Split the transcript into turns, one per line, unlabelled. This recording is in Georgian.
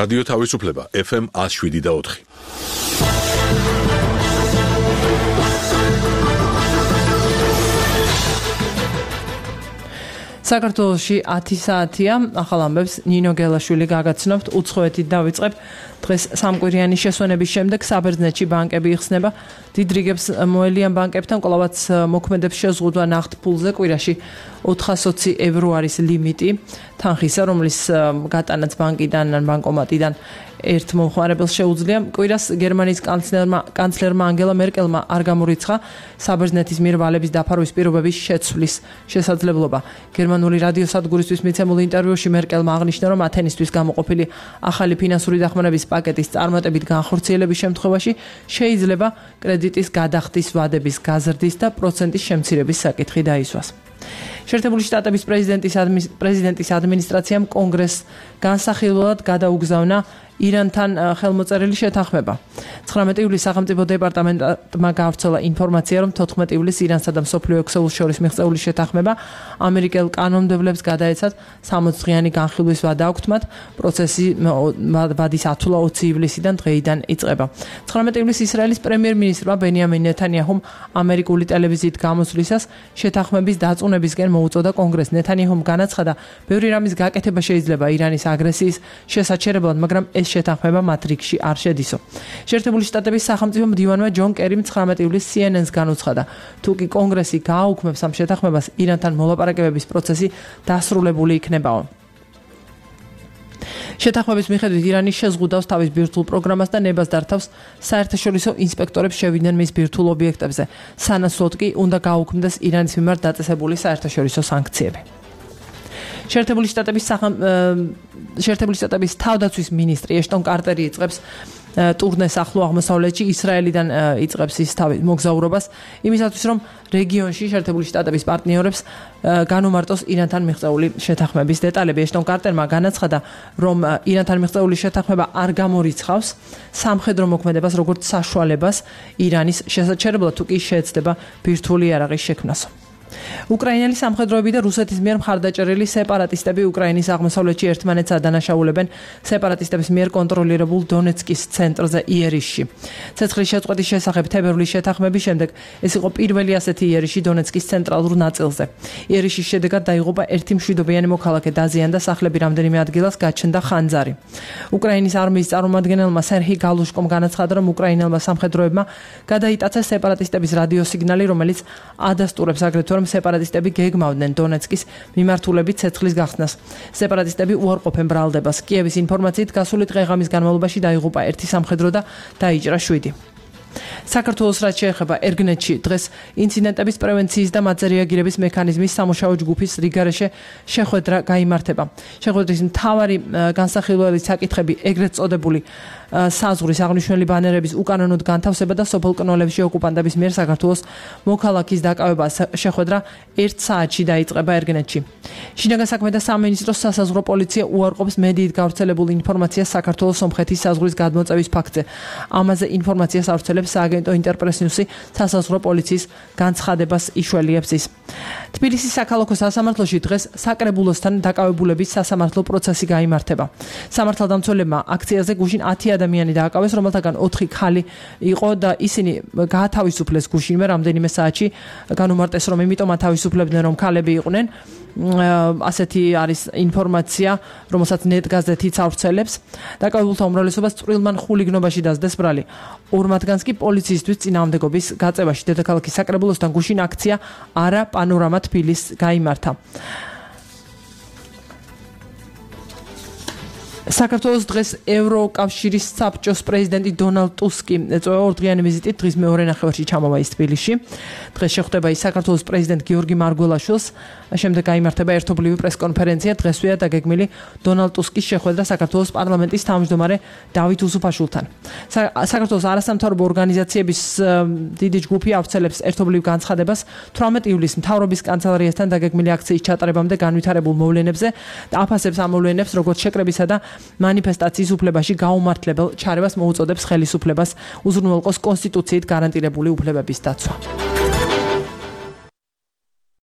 რადიო თავისუფლება FM 107.4.
საქართველოში 10 საათია, ახალ ამბებს ნინო გელაშვილი გაგაცნობთ, უცხოეთით დავიწყებ. დღეს სამკვირიანი შესვენების შემდეგ საბერძნეთში ბანკები იხსნება. დიდ რიგებს მოელიან ბანკებთან, კვლავაც მოქმედებს შეზღუდვა ნახტ ფულზე, კვირაში 420 евро არის ლიმიტი თანხისა, რომლის გატანაც ბანკიდან ან ბანკომატიდან ერთ მომხმარებელს შეუძლია. კვირას გერმანიის კანცლერმა ანგელა მერკელმა არ გამორიცხა საბერძნეთის მიერ ვალების დაფარვის პირობების შეცვლის შესაძლებლობა. გერმანული რადიოსადგურისთვის მიცემულ ინტერვიუში მერკელმა აღნიშნა, რომ ათენისთვის გამოყოფილი ახალი ფინანსური დახმარების პაკეტის წარმატებით განხორციელების შემთხვევაში შეიძლება კრედიტის გადახდის ვადების გაზრდის და პროცენტის შემცირების საკითხი დაისვას. შეერთებული შტატების პრეზიდენტის ადმინისტრაციამ კონგრესს განსახილველად გადაუგზავნა ირანთან ხელმოწერილი შეთანხმება. 19 ივლისს სახელმწიფო დეპარტამენტმა გაავრცელა ინფორმაცია, რომ 14 ივლისს ირანსა და მსოფლიო ექსეულს შორის მიღწეული შეთანხმება ამერიკელ კანონმდებლებს გადაეცათ 60 დღიანი განხილვის ვადა აქვთ მათ. პროცესი ვადის ათვლა 20 ივლისიდან დღეიდან იწყება. 19 ივლისს ისრაელის პრემიერ-მინისტრმა ბენიამინ ნეთანიაჰუმ ამერიკული ტელევიზიით გამოსვლისას შეთანხმების დაწუნებისკენ მოუწოდა კონგრესს. ნეთანიაჰუმ განაცხადა, ბევრი რამის გაკეთება შეიძლება ირანის აგრესიის შესაჩერებლად, მაგრამ ეს შეთანხმება მათ რიგში არ შედისო. შეერთებული შტატების სახელმწიფო მდივანმა ჯონ კერიმ 19 ივლისს CNN-ს განუცხადა, თუ კი კონგრესი გააუქმებს ამ შეთანხმებას, ირანთან მოლაპარაკებების პროცესი დასრულებული იქნებაო. შეთანხმების მიხედვით ირანი შეზღუდავს თავის ბირთვულ პროგრამას და ნებას დართავს საერთაშორისო ინსპექტორებს შევიდნენ მის ბირთვულ ობიექტებზე. სანაცვლოდ კი უნდა გააუქმდეს ირანის მიმართ დაწესებული საერთაშორისო სანქციები. შეერთებული შტატების თავდაცვის მინისტრი ეშტონ კარტერი იწყებს ტურნეს ახლო აღმოსავლეთში, ისრაელიდან იწყებს ის თავის მოგზაურობას, იმისათვის რომ რეგიონში შეერთებული შტატების პარტნიორებს განუმარტოს ირანთან მიღწეული შეთანხმების დეტალები. ეშტონ კარტერმა განაცხადა, რომ ირანთან მიღწეული შეთანხმება არ გამორიცხავს სამხედრო მოქმედებას როგორც საშუალებას ირანის შესაჩერებლად, თუ კი შეეცდება ბირთვული იარაღის შექმნას. უკრაინელი სამხედროები და რუსეთის მიერ მხარდაჭერილი სეპარატისტები უკრაინის აღმოსავლეთში ერთმანეთს ადანაშაულებენ სეპარატისტების მიერ კონტროლირებულ დონეცკის ცენტრზე იერიშში. ცეცხლის შეწყვეტის შესახებ თებერვლის შეთანხმების შემდეგ ეს იყო პირველი ასეთი იერიში დონეცკის ცენტრალურ ნაწილზე. იერიშის შედეგად დაიღუპა ერთი მშვიდობიანი მოქალაქე, დაზიანდა სახლები, რამდენიმე ადგილას გაჩნდა ხანძარი. უკრაინის არმიის წარმომადგენელმა სერჰი გალუშკომ განაცხადა, რომ უკრაინელმა სამხედროებმა გადაიტაცეს სეპარატისტების რადიოსიგნალი, რომელიც ადასტურებს აგრეთვე სეპარატისტები გეგმავდნენ დონეცკის მიმართულებით ცეცხლის გახსნას. სეპარატისტები უარყოფენ ბრალდებას. კიევის ინფორმაციით გასული დღე-ღამის განმავლობაში დაიღუპა ერთი სამხედრო და დაიჭრა 7. საქართველოს რაც შეეხება ერგნეთში დღეს ინციდენტების პრევენციის და მათზე რეაგირების მექანიზმის სამუშაო ჯგუფის რიგარეშე შეხვედრა გაიმართება. შეხვედრის მთავარი განსახილველი საკითხები ეგრეთ წოდებული საზღვრის აღნიშნული ბანერების უკანონოდ განთავსება და სოფელ კნოლებში ოკუპანტების მიერ საქართველოს მოქალაქის დაკავება. შეხვედრა 1 საათში დაიწყება ერგნეთში. შინაგან საქმეთა სამინისტროს სასაზღვრო პოლიცია უარყოფს მედიით გავრცელებულ ინფორმაციას საქართველოს სომხეთის საზღვრის გადმოწევის ფაქტზე. ამაზე ინფორმაციას ავრცელებს სააგენტო ინტერპრეს ნიუსი, სასაზღვრო პოლიციის განცხადებას იშველიებს ის. თბილისის საქალაქო სასამართლოში დღეს საკრებულოსთან დაკავებულების სასამართლო პროცესი გაიმართება. სამართალდამცველებმა აქციაზე გუშინ 10 ადამიანი დააკავეს, რომელთაგან 4 ქალი იყო და ისინი გაათავისუფლეს გუშინვე რამდენიმე საათში. განუმარტეს, რომ იმიტომ ათავისუფლებდნენ, რომ ქალები იყვნენ. ასეთი არის ინფორმაცია, რომელსაც ნეტ-გაზეთიც ავრცელებს. დაკავებულთა უმრავლესობას წვრილმან ხულიგნობაში დასდეს ბრალი. 2 მათგანს კი პოლიციისთვის წინააღმდეგობის გაწევაში დედაქალაქის საკრებულოსთან გუშინ აქცია არა პანორამა თბილისს გაიმართა. საქართველოს დღეს ევროკავშირის საბჭოს პრეზიდენტი დონალდ ტუსკი ეწევა 2 დღიანი ვიზიტით, დღის მეორე ნახევარში ჩამოვა ის თბილისში. დღეს შეხვდება ის საქართველოს პრეზიდენტ გიორგი მარგველაშვილს, შემდეგ გაიმართება ერთობლივი პრესკონფერენცია. დღესვეა დაგეგმილი დონალდ ტუსკის შეხვედრა საქართველოს პარლამენტის თავმჯდომარე დავით უსუფაშვილთან. საქართველოს არასამთავრობო ორგანიზაციების დიდი ჯგუფი ავრცელებს ერთობლივ განცხადებას 18 ივლისს მთავრობის კანცელარიასთან დაგეგმილი აქციის ჩატარებამდე განვითარებულ მოვლენებზე და აფასებს ამ მოვლენებს, როგორც შეკრებისა და მანიფესტაციის უფლებაში გაუმართლებელ ჩარევას მოუწოდებს ხელისუფლებას უზრუნველყოს კონსტიტუციით გარანტირებული უფლებების დაცვა.